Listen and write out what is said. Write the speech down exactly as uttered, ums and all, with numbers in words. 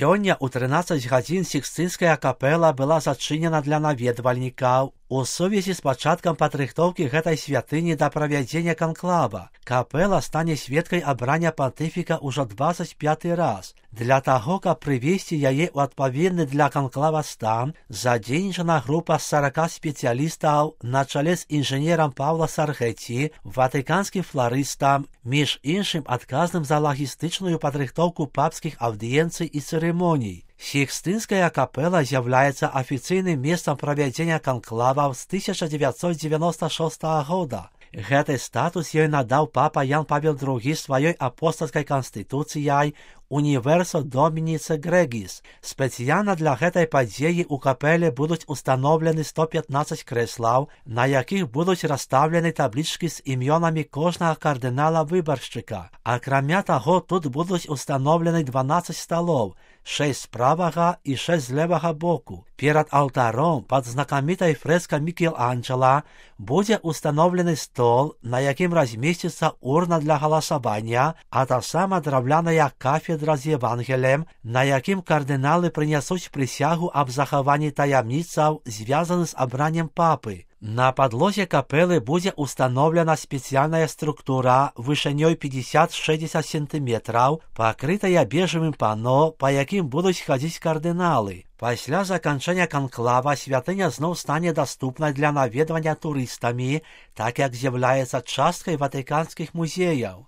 Сёння ў трынаццаць гадзін Сікстынская капэла была зачынена для наведвальнікаў у сувязі з пачаткам падрыхтоўкі гэтай святыні да правядзення канклава. Капэла стане сведкай абрання пантыфіка ўжо дваццаць пяты раз. Для таго, каб прывесці яе ў адпаведны для канклава стан, задзейнічана група з сарака спецыялістаў на чале з інжынерам Паўла Саргэці, ватыканскім фларыстам, між іншым адказным за лагістычную падрыхтоўку папскіх аўдыенцый і цырымоній. Сікстынская капэла з'яўляецца афіцыйным месцам правядзення канклаваў з тысяча дзевяцьсот дзевяноста шостага года. Гэты статус ёй надаў папа Ян Павел другі сваёй апостальскай канстытуцыяй Universo Dominice Gregis. Спецыяльна для гэтай падзеі ў капэле будуць устаноўлены сто пятнаццаць крэслаў, на якіх будуць расстаўлены таблічкі з імёнамі кожнага кардынала-выбаршчыка. Акрамя таго, тут будуць устаноўлены дванаццаць сталоў, шэсць з правага і шэсць з левага боку. Перад алтаром пад знакамітай фрэскай Мікеланджела будзе устаноўлены стол, на якім размесціцца урна для галасавання, а таксама драўляная кафедра з Евангелем, на якім кардыналы прынясуць прысягу аб захаванні таямніцаў, звязаных з абраннем папы. На падлозе капэлы будзе устаноўлена спецыяльная структура вышынёй пятьдесят шестьдесят сантыметраў, пакрытая бежевым пано, па якім будуць хадзіць кардыналы. Пасля заканчэння канклава святыня зноў стане даступнай для наведвання турыстамі, так як з'яўляецца часткай ватыканскіх музеяў.